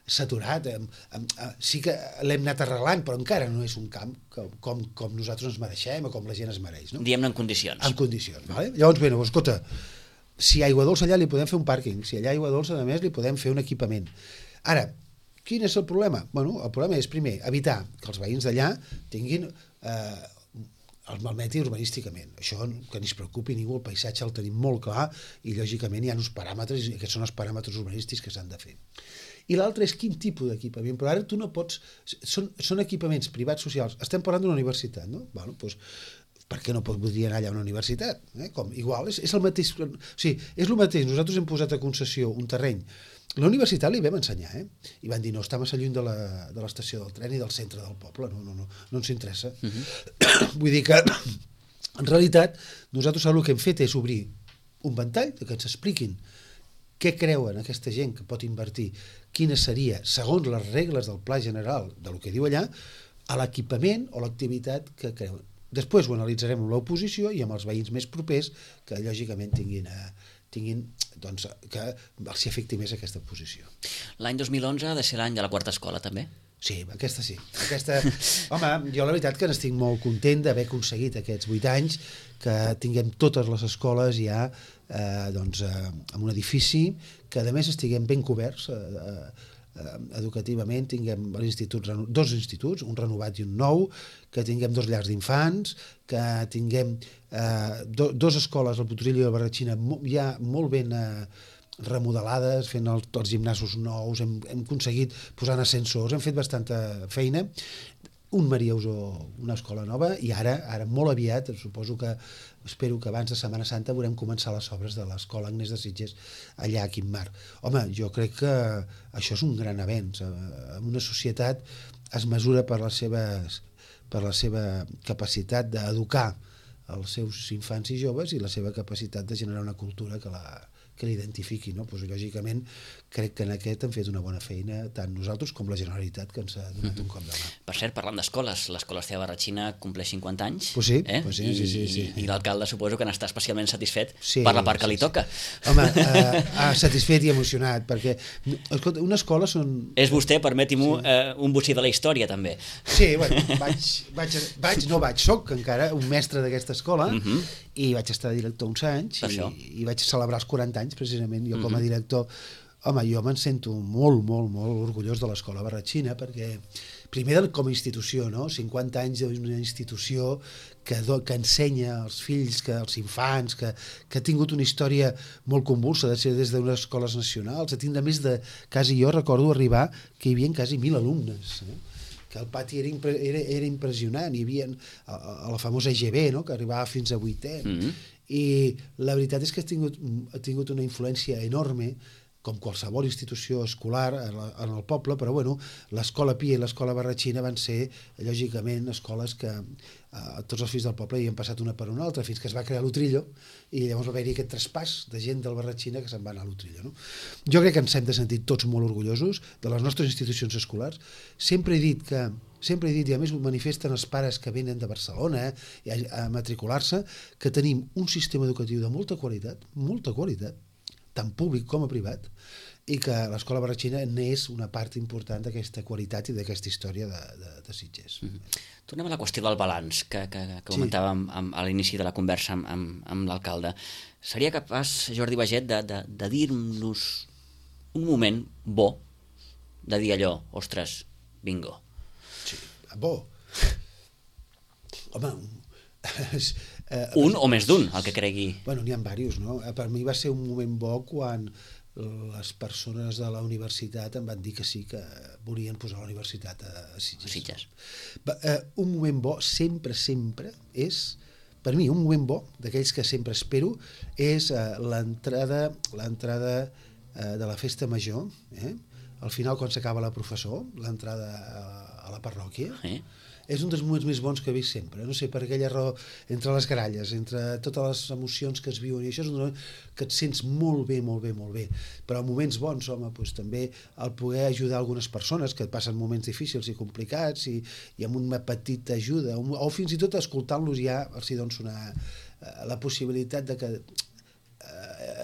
Saturat, eh, eh, sí que l'hem anat arreglant, però encara no és un camp com, com, com nosaltres ens mereixem o com la gent es mereix, no? Diguem-ne en condicions. En condicions, vale? Llavors, bé, escolta, si hi ha aigua dolça allà li podem fer un pàrquing, si allà hi ha aigua dolça, a més, li podem fer un equipament. Ara, quin és el problema? Bueno, el problema és, primer, evitar que els veïns d'allà tinguin... Eh, els malmeti urbanísticament. Això que ni es preocupi ningú, el paisatge el tenim molt clar i lògicament hi ha uns paràmetres i aquests són els paràmetres urbanístics que s'han de fer. I l'altre és quin tipus d'equipament, però ara tu no pots... Són, són equipaments privats socials. Estem parlant d'una universitat, no? Bueno, doncs, per què no podria anar allà a una universitat? Eh? Com, igual, és, és el mateix... O sigui, és el mateix. Nosaltres hem posat a concessió un terreny. La universitat li vam ensenyar, eh? I van dir, no, està massa lluny de l'estació de del tren i del centre del poble, no, no, no, no ens interessa. Uh -huh. Vull dir que, en realitat, nosaltres el que hem fet és obrir un ventall que ens expliquin què creuen aquesta gent que pot invertir, quina seria, segons les regles del pla general del que diu allà, a l'equipament o l'activitat que creuen. Després ho analitzarem amb l'oposició i amb els veïns més propers que, lògicament, tinguin... A, tinguin, doncs, que els afecti més aquesta posició. L'any dos mil onze ha de ser l'any de la quarta escola, també? Sí, aquesta sí. Aquesta... Home, jo la veritat que n'estic molt content d'haver aconseguit aquests vuit anys que tinguem totes les escoles ja eh, doncs, eh, en un edifici, que a més estiguem ben coberts eh, eh, educativament, tinguem instituts, dos instituts, un renovat i un nou, que tinguem dos llars d'infants, que tinguem eh, do, dos escoles, el Potosí i la Barratxina, ja molt ben eh, remodelades, fent el, els gimnasos nous, hem, hem aconseguit posant ascensors, hem fet bastanta feina, un Maria Usó, una escola nova, i ara, ara molt aviat, suposo que, espero que abans de Setmana Santa veurem començar les obres de l'escola Agnès de Sitges allà a Quimar. Home, jo crec que això és un gran avenç. En una societat es mesura per les seves, per la seva capacitat d'educar els seus infants i joves i la seva capacitat de generar una cultura que la que l'identifiqui, no? Pues, lògicament, crec que en aquest hem fet una bona feina, tant nosaltres com la Generalitat, que ens ha donat mm-hmm. un cop de mà. Per cert, parlant d'escoles, l'escola Esteve Barratxina compleix cinquanta anys, pues sí, eh? pues sí, I, sí, sí, sí. i l'alcalde suposo que n'està especialment satisfet sí, per la part que sí, li toca. Sí. Home, eh, satisfet i emocionat, perquè, escolta, una escola són... És vostè, permeti-m'ho, sí. eh, un bocí de la història, també. Sí, bueno, vaig, vaig, vaig no vaig, soc encara un mestre d'aquesta escola, mm-hmm. i vaig estar de director uns anys, i, i vaig celebrar els quaranta anys, precisament, jo com a director. Home, jo me'n sento molt, molt, molt orgullós de l'escola Barratxina, perquè primer com a institució, no? cinquanta anys d'una institució que, do, que ensenya als fills, que als infants, que, que ha tingut una història molt convulsa, de ser des d'unes escoles nacionals, a tindre més de, quasi jo recordo arribar, que hi havia quasi mil alumnes, eh? Que el pati era, impre, era, era impressionant, hi havia a, a la famosa E G B, no? Que arribava fins a vuitè, mm-hmm. i la veritat és que ha tingut, ha tingut una influència enorme, com qualsevol institució escolar en, la, en el poble, però bueno, l'escola Pia i l'escola Barratxina van ser, lògicament, escoles que eh, tots els fills del poble hi han passat una per una altra, fins que es va crear l'Utrillo, i llavors va haver-hi aquest traspàs de gent del Barratxina que se'n va anar a l'Utrillo. No? Jo crec que ens hem de sentir tots molt orgullosos de les nostres institucions escolars. Sempre he dit que sempre he dit, i a més ho manifesten els pares que venen de Barcelona eh, a, a matricular-se, que tenim un sistema educatiu de molta qualitat, molta qualitat, tant públic com a privat, i que l'escola Barratxina n'és una part important d'aquesta qualitat i d'aquesta història de, de, de Sitges. Mm-hmm. Tornem a la qüestió del balanç que, que, que comentàvem sí. amb, a l'inici de la conversa amb, amb, amb l'alcalde. Seria capaç, Jordi Baget, de, de, de dir-nos un moment bo, de dir allò, ostres, bingo? Sí, bo. Home, Eh, un o més d'un, el que cregui. Bueno, n'hi ha diversos, no? Per mi va ser un moment bo quan les persones de la universitat em van dir que sí, que volien posar la universitat a Sitges. Sitges. Eh, un moment bo sempre, sempre és, per mi, un moment bo, d'aquells que sempre espero, és eh, l'entrada l'entrada eh, de la festa major, eh? Al final, quan s'acaba la professor, l'entrada a, a la parròquia, eh? És un dels moments més bons que he vist sempre, no sé, per aquella raó, entre les gralles, entre totes les emocions que es viuen, i això és un moment que et sents molt bé, molt bé, molt bé, però moments bons, home, doncs també el poder ajudar algunes persones que passen moments difícils i complicats i, i amb una petita ajuda, o, o fins i tot escoltant-los ja els hi dones una, la possibilitat de que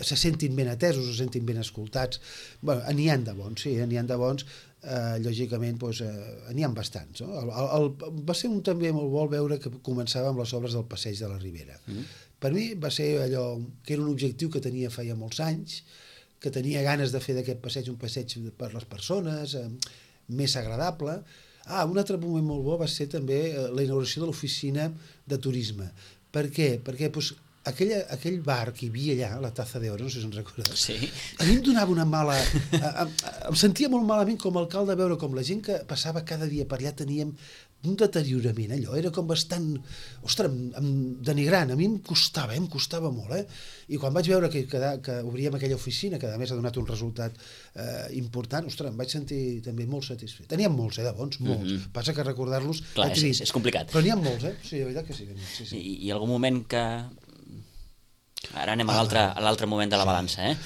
se sentin ben atesos, se sentin ben escoltats. Bueno, n'hi ha de bons, sí, n'hi ha de bons, eh, lògicament doncs, eh, n'hi ha bastants. No? El, el, el, va ser un també molt bo veure que començava amb les obres del Passeig de la Ribera. Mm. Per mi va ser allò que era un objectiu que tenia feia molts anys, que tenia ganes de fer d'aquest passeig un passeig per les persones, eh, més agradable. Ah, un altre moment molt bo va ser també la inauguració de l'oficina de turisme. Per què? Perquè doncs, aquella, aquell bar que hi havia allà, la Taza de Oro, no sé si ens recordes, sí. A mi em donava una mala... Em, em sentia molt malament com a alcalde veure com la gent que passava cada dia per allà teníem un deteriorament, allò, era com bastant, ostres, em, denigrant, a mi em costava, eh, em costava molt, eh? I quan vaig veure que, que, que obríem aquella oficina, que a més ha donat un resultat eh, important, ostres, em vaig sentir també molt satisfet. Teníem molts, eh, de bons, molts. Mm -hmm. Passa que recordar-los... Clar, és, és, és complicat. Però n'hi ha molts, eh? Sí, de veritat que sí. sí, sí. I, I algun moment que... Ara anem ah, a l'altre moment de la sí. balança, eh?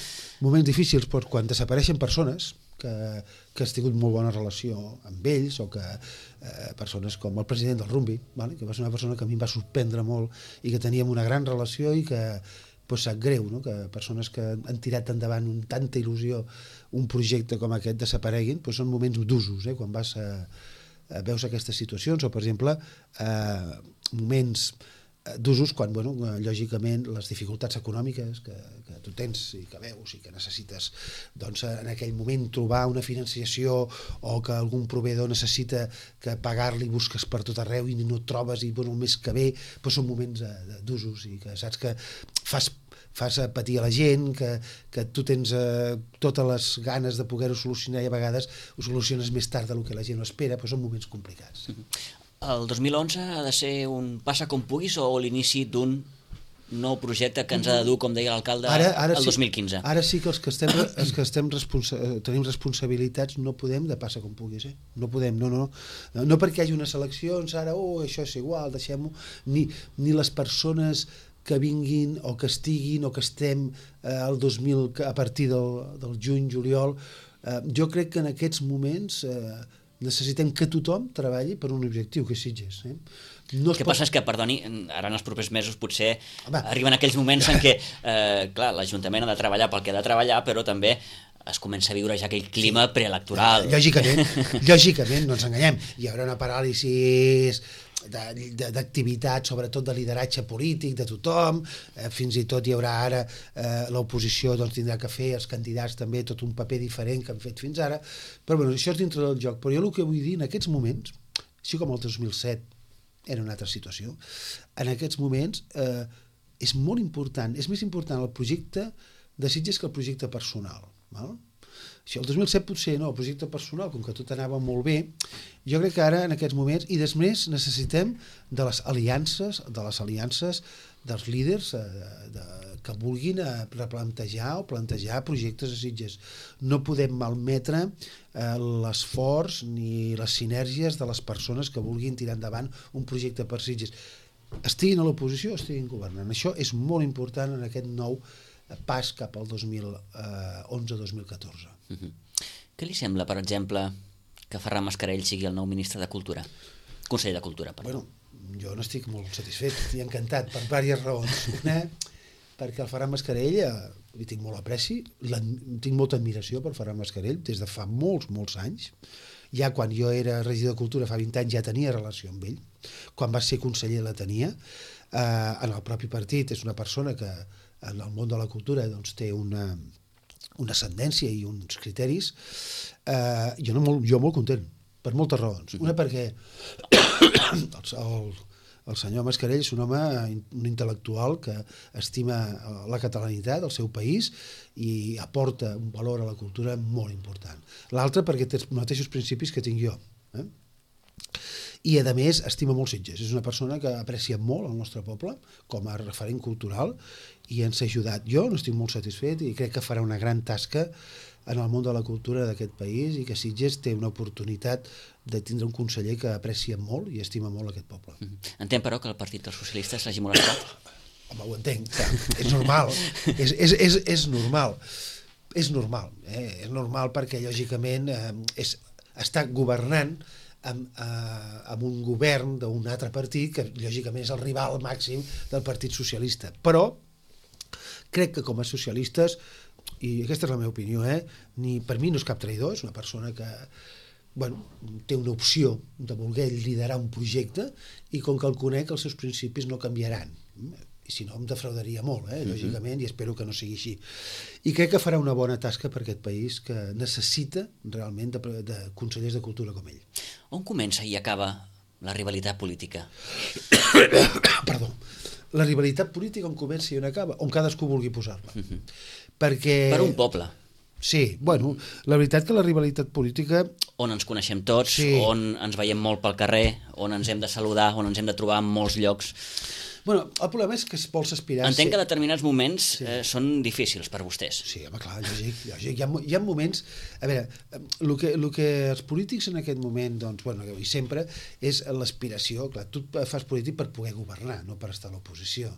Moments difícils, però quan desapareixen persones que, que has tingut molt bona relació amb ells, o que eh, persones com el president del Rumbi, vale? Que va ser una persona que a mi em va sorprendre molt i que teníem una gran relació i que pues, sap greu, no? Que persones que han tirat endavant amb tanta il·lusió un projecte com aquest desapareguin, pues, són moments d'usos, eh? Quan vas a, a veus aquestes situacions, o per exemple eh, moments d'usos quan, bueno, lògicament, les dificultats econòmiques que, que tu tens i que veus i que necessites, doncs, en aquell moment trobar una financiació o que algun proveïdor necessita que pagar-li busques per tot arreu i no et trobes i, bueno, el mes que ve, doncs són moments d'usos i que saps que fas fas patir a la gent, que, que tu tens eh, totes les ganes de poder-ho solucionar i a vegades ho soluciones més tard del que la gent ho espera, però són moments complicats. El dos mil onze ha de ser un passa com puguis o l'inici d'un nou projecte que ens ha de dur, com deia l'alcalde, el dos mil quinze? Ara sí que els que estem, els que estem responsa tenim responsabilitats no podem de passa com puguis, eh? No podem, no, no. No perquè hi hagi unes eleccions, ara, oh, això és igual, deixem-ho, ni, ni les persones que vinguin o que estiguin o que estem eh, el dos mil a partir del, del juny, juliol, eh, jo crec que en aquests moments eh, necessitem que tothom treballi per un objectiu, que és Sitges. Eh? No el que pot... passa és que, perdoni, ara en els propers mesos potser Home. arriben aquells moments en què, eh, clar, l'Ajuntament ha de treballar pel que ha de treballar, però també es comença a viure ja aquell clima sí. preelectoral. Lògicament, lògicament, no ens enganyem. Hi haurà una paràlisi d'activitat, sobretot de lideratge polític de tothom, eh, fins i tot hi haurà ara eh, l'oposició doncs, tindrà que fer els candidats també tot un paper diferent que han fet fins ara, però bueno, això és dintre del joc. Però jo el que vull dir en aquests moments, així com el dos mil set era una altra situació, en aquests moments eh, és molt important, és més important el projecte de Sitges que el projecte personal, val? Això, el dos mil set potser no, el projecte personal, com que tot anava molt bé, jo crec que ara en aquests moments, i després necessitem de les aliances, de les aliances dels líders eh, de, que vulguin eh, replantejar o plantejar projectes a Sitges. No podem malmetre eh, l'esforç ni les sinergies de les persones que vulguin tirar endavant un projecte per Sitges. Estiguin a l'oposició o estiguin governant. Això és molt important en aquest nou pas cap al dos mil onze dos mil catorze. Uh-huh. Què li sembla, per exemple, que Ferran Mascarell sigui el nou ministre de Cultura? Conseller de Cultura, perdó. Bueno, jo n'estic molt satisfet, estic encantat per diverses raons. Una, perquè el Ferran Mascarell eh, li tinc molt apreci, tinc molta admiració per Ferran Mascarell des de fa molts, molts anys. Ja quan jo era regidor de Cultura fa vint anys ja tenia relació amb ell, quan va ser conseller la tenia. Eh, en el propi partit és una persona que en el món de la cultura doncs, té una, una ascendència i uns criteris. Eh, jo, no, molt, jo molt content, per moltes raons. Una perquè el, el, el senyor Mascarell és un home, un intel·lectual que estima la catalanitat, el seu país, i aporta un valor a la cultura molt important. L'altre perquè té els mateixos principis que tinc jo. Eh? I, a més, estima molt Sitges. És una persona que aprecia molt el nostre poble com a referent cultural i ens ha ajudat. Jo n'estic molt satisfet i crec que farà una gran tasca en el món de la cultura d'aquest país i que Sitges té una oportunitat de tindre un conseller que aprecia molt i estima molt aquest poble. Entenc, però, que el Partit dels Socialistes l'hagi molestat? Home, ho entenc, clar. És normal. és, és, és, és normal. És normal. Eh? És normal perquè, lògicament, eh, és, està governant Amb, eh, amb un govern d'un altre partit que lògicament és el rival màxim del Partit Socialista, però crec que com a socialistes, i aquesta és la meva opinió, eh, ni, per mi no és cap traïdor, és una persona que bueno, té una opció de voler liderar un projecte i com que el conec els seus principis no canviaran, i si no em defraudaria molt, eh, lògicament, i espero que no sigui així. I crec que farà una bona tasca per aquest país que necessita realment de, de consellers de cultura com ell. On comença i acaba la rivalitat política? Perdó. La rivalitat política on comença i on acaba, on cadascú vulgui posar-la. Uh-huh. Perquè... Per un poble. Sí, bueno, la veritat que la rivalitat política... On ens coneixem tots, sí. On ens veiem molt pel carrer, on ens hem de saludar, on ens hem de trobar en molts llocs. Bueno, el problema és que es vols aspirar... Entenc ser... que determinats moments sí. eh, són difícils per vostès. Sí, home, clar, lògic, lògic. Hi ha, hi ha moments... A veure, el que, el que els polítics en aquest moment, doncs, bueno, i sempre, és l'aspiració. Clar, tu fas polític per poder governar, no per estar a l'oposició.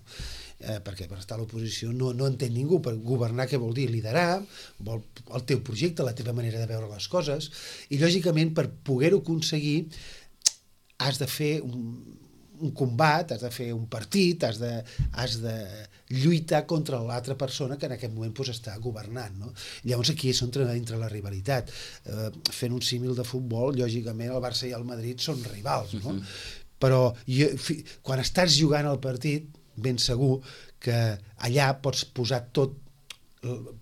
Eh, perquè per estar a l'oposició no, no entén ningú. Per governar què vol dir? Liderar, vol el teu projecte, la teva manera de veure les coses, i lògicament per poder-ho aconseguir has de fer un, un combat, has de fer un partit, has de, has de lluitar contra l'altra persona que en aquest moment pues, està governant. No? Llavors aquí és on entra la rivalitat. Eh, fent un símil de futbol, lògicament el Barça i el Madrid són rivals, no? Uh-huh. Però jo, fi, quan estàs jugant al partit, ben segur que allà pots posar tot,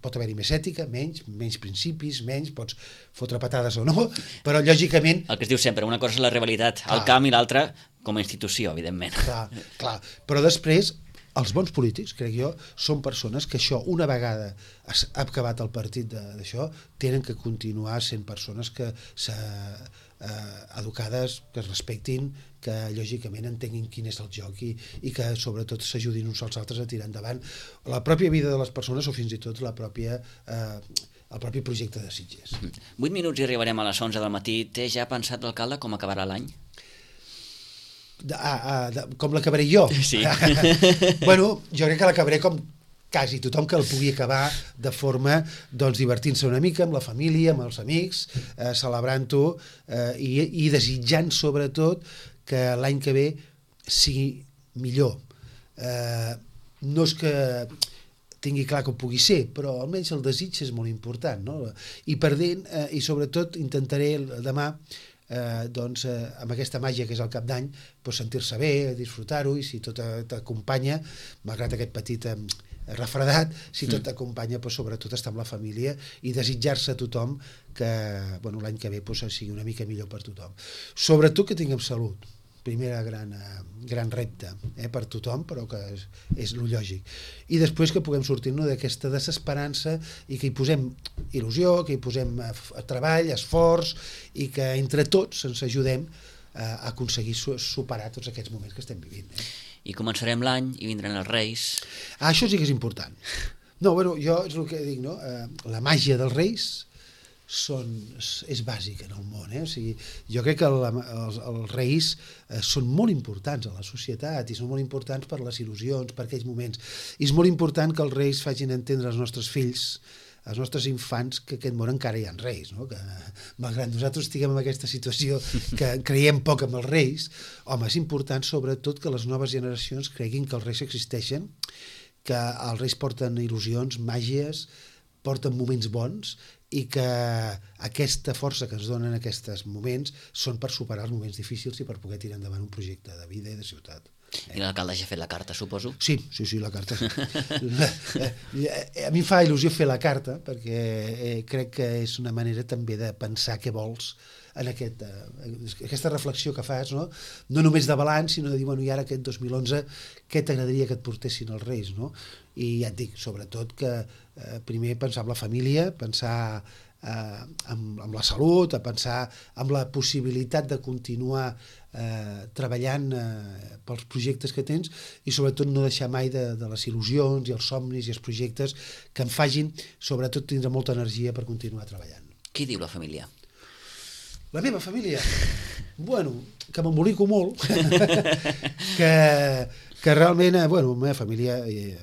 pot haver-hi més ètica, menys, menys principis, menys, pots fotre patades o no, però lògicament... El que es diu sempre, una cosa és la rivalitat clar. Al camp i l'altra com a institució, evidentment. Clar, clar, però després els bons polítics, crec jo, són persones que això, una vegada has acabat el partit d'això, tenen que continuar sent persones que s'ha eh, educades, que es respectin, que lògicament entenguin quin és el joc i, i que sobretot s'ajudin uns als altres a tirar endavant la pròpia vida de les persones o fins i tot la pròpia, eh, el propi projecte de Sitges. Vuit minuts i arribarem a les onze del matí. Té ja pensat l'alcalde com acabarà l'any? De, ah, ah, de, com l'acabaré jo? Sí. Bueno, jo crec que l'acabaré com quasi tothom que el pugui acabar de forma doncs, divertint-se una mica amb la família, amb els amics, eh, celebrant-ho eh, i, i desitjant sobretot que l'any que ve sigui millor. Eh, no és que tingui clar que ho pugui ser, però almenys el desig és molt important, no? I perdent, eh, i sobretot intentaré demà eh, doncs, eh, amb aquesta màgia que és el cap d'any, doncs, sentir-se bé, disfrutar-ho, i si tot t'acompanya, malgrat aquest petit eh, refredat, si tot t'acompanya, doncs, sobretot estar amb la família i desitjar-se a tothom que bueno, l'any que ve doncs, sigui una mica millor per tothom. Sobretot que tinguem salut. Primera gran, eh, gran repte eh, per tothom, però que és, és lo lògic. I després que puguem sortir-nos d'aquesta desesperança i que hi posem il·lusió, que hi posem eh, treball, esforç, i que entre tots ens ajudem eh, a aconseguir su superar tots aquests moments que estem vivint. Eh? I començarem l'any i vindran els Reis. Ah, això sí que és important. No, bueno, jo és el que dic, no? Eh, la màgia dels Reis són, és bàsic en el món, eh? O sigui, jo crec que el, els, els reis eh, són molt importants a la societat i són molt importants per les il·lusions, per aquells moments, i és molt important que els reis facin entendre als nostres fills, als nostres infants, que aquest món encara hi ha reis, no? Que malgrat nosaltres estiguem en aquesta situació que creiem poc en els reis, home, és important sobretot que les noves generacions creguin que els reis existeixen, que els reis porten il·lusions, màgies, porten moments bons, i que aquesta força que ens donen aquests moments són per superar els moments difícils i per poder tirar endavant un projecte de vida i de ciutat. I l'alcalde ja ha fet la carta, suposo? Sí, sí, sí, la carta. A mi em fa il·lusió fer la carta perquè eh, crec que és una manera també de pensar què vols en aquest, eh, aquesta reflexió que fas, no? No només de balanç, sinó de dir, bueno, i ara aquest dos mil onze, què t'agradaria que et portessin els Reis, no? I ja et dic, sobretot que eh, primer pensar en la família, pensar eh, en, en la salut, a pensar en la possibilitat de continuar eh, treballant eh, pels projectes que tens i sobretot no deixar mai de, de les il·lusions i els somnis i els projectes que em facin, sobretot, tindre molta energia per continuar treballant. Qui diu la família? La meva família? Bueno, que m'embolico molt, que, que realment, bueno, la meva família eh,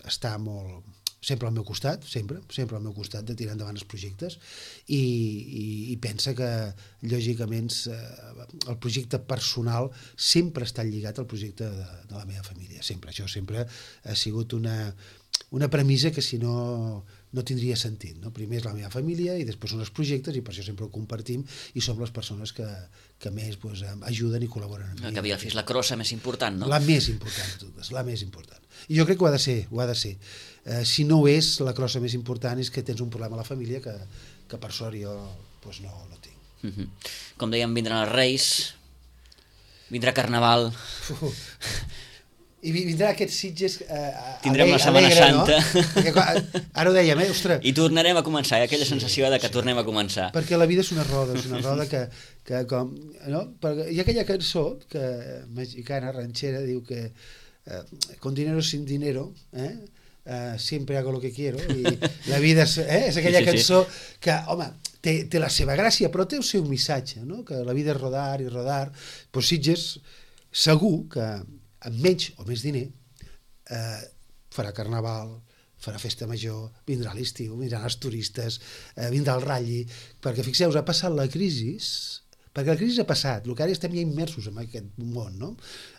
està molt, sempre al meu costat, sempre, sempre al meu costat de tirar endavant els projectes i, i, i pensa que, lògicament, eh, el projecte personal sempre està lligat al projecte de, de la meva família, sempre. Això sempre ha sigut una, una premissa que si no no tindria sentit, no? Primer és la meva família i després són els projectes i per això sempre ho compartim i som les persones que, que més pues, ajuden i col·laboren amb mi. Que havia fet la crossa més important, no? La més important de totes, la més important. I jo crec que ho ha de ser, ho ha de ser. Eh, si no ho és, la crossa més important és que tens un problema a la família que, que per sort jo pues, no, no tinc. Uh-huh. Com dèiem, vindran els Reis, vindrà Carnaval... Uh. I vindrà aquests Sitges eh, tindrem alegre, la Setmana Santa, no? Perquè, ara ho dèiem, eh? Ostres, i tornarem a començar, eh? Aquella sí, sensació de que sí. tornem a començar, perquè la vida és una roda, és una roda que, que com, no? Perquè hi ha aquella cançó que mexicana, ranchera, diu que eh, con dinero sin dinero, eh? Uh, siempre hago lo que quiero, i la vida és, eh? és aquella sí, sí, cançó sí. que, home, té, té la seva gràcia, però té el seu missatge, no? Que la vida és rodar i rodar. Però Sitges segur que amb menys o més diner eh, farà Carnaval, farà Festa Major, vindrà l'estiu, vindran els turistes, eh, vindrà el ratlli, perquè fixeu-vos, ha passat la crisi, perquè la crisi ha passat, el que ara estem ja immersos en aquest món, no?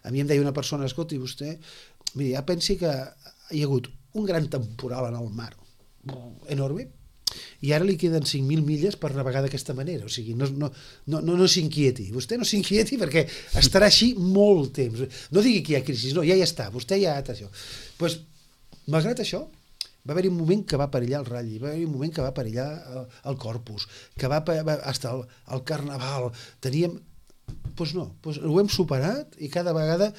A mi em deia una persona, escolti, vostè, miri, ja pensi que hi ha hagut un gran temporal en el mar, enorme, i ara li queden cinc mil milles per navegar d'aquesta manera, o sigui, no, no, no, no, no s'inquieti, vostè no s'inquieti perquè estarà així molt temps, no digui que hi ha crisi, no, ja hi està, vostè ja ha això. Pues, malgrat això, va haver-hi un moment que va perillar el ratlli, va haver-hi un moment que va perillar el, el Corpus, que va, va hasta el, el Carnaval, teníem... Doncs pues no, pues ho hem superat i cada vegada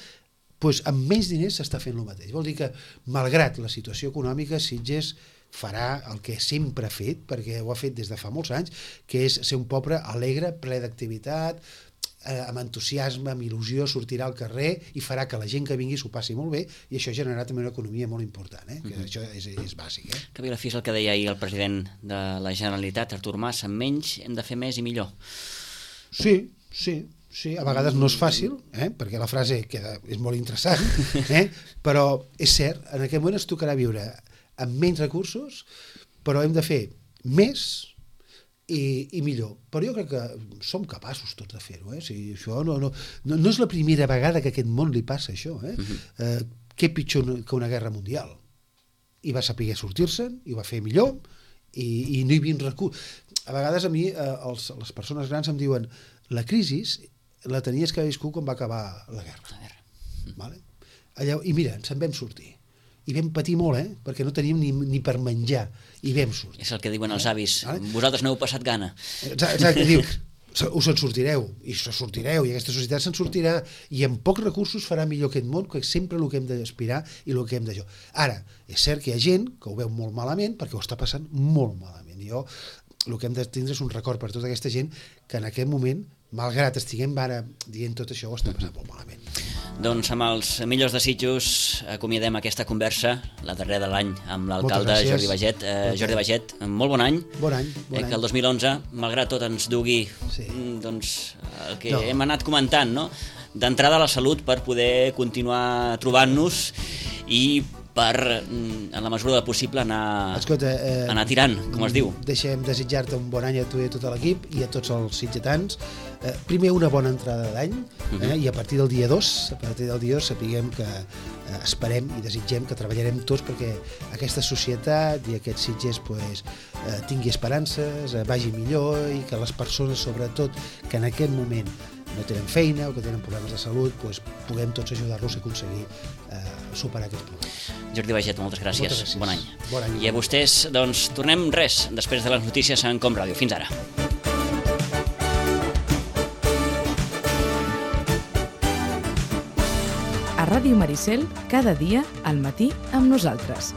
pues, amb menys diners s'està fent el mateix. Vol dir que, malgrat la situació econòmica, Sitges farà el que sempre ha fet, perquè ho ha fet des de fa molts anys, que és ser un poble alegre, ple d'activitat, eh, amb entusiasme, amb il·lusió, sortirà al carrer i farà que la gent que vingui s'ho passi molt bé, i això generarà també una economia molt important, eh? Que mm-hmm. això és, és bàsic. Eh? Que bé la fi és el que deia ahir el president de la Generalitat, Artur Mas, amb menys hem de fer més i millor. Sí, sí, sí, a vegades no és fàcil, eh? Perquè la frase queda, és molt interessant, eh? Però és cert, en aquest moment es tocarà viure amb menys recursos, però hem de fer més i, i millor. Però jo crec que som capaços tots de fer-ho. Eh? O sigui, això no, no, no, no és la primera vegada que a aquest món li passa això. Eh? Uh-huh. eh, què pitjor que una guerra mundial? I va saber sortir-se'n, i ho va fer millor, i, i no hi havia recursos. A vegades a mi, eh, els, les persones grans em diuen la crisi la tenies que haver viscut quan va acabar la guerra. La guerra. Mm. Vale? Allà, i mira, ens en vam sortir. I vam patir molt, eh? Perquè no teníem ni, ni per menjar, i vam sortir. És el que diuen els avis, eh? Vosaltres n'heu passat gana. Exacte, diu, us en sortireu, i se sortireu, i aquesta societat se'n sortirà, i amb pocs recursos farà millor aquest món, que és sempre el que hem d'aspirar i el que hem de jo. Ara, és cert que hi ha gent que ho veu molt malament, perquè ho està passant molt malament. I jo, el que hem de tindre és un record per tota aquesta gent que en aquest moment, malgrat estiguem ara dient tot això, ho està passant molt malament. Doncs amb els millors desitjos acomiadem aquesta conversa, la darrera de l'any, amb l'alcalde Jordi Baiget. Eh, Jordi Baiget, molt bon any. Bon any. Bon eh, any. Que el dos mil onze, malgrat tot, ens dugui sí. doncs, el que no. hem anat comentant, no? D'entrada a la salut per poder continuar trobant-nos i per, en la mesura del possible, anar, Escolta, eh, anar tirant, com es diu. Deixem desitjar-te un bon any a tu i a tot l'equip i a tots els sitgetans. Eh, primer, una bona entrada d'any, eh, uh-huh. i a partir del dia dos, a partir del dia dos, sapiguem que eh, esperem i desitgem que treballarem tots perquè aquesta societat i aquests Sitges pues, eh, tingui esperances, eh, vagi millor i que les persones, sobretot, que en aquest moment no tenen feina o que tenen problemes de salut, pues, puguem tots ajudar-los a aconseguir eh, superar aquests problemes. Jordi Baiget, moltes gràcies. Moltes gràcies. Bon any. Bon any. I a vostès, doncs, tornem res després de les notícies en Com Ràdio. Fins ara. A Ràdio Maricel, cada dia al matí amb nosaltres.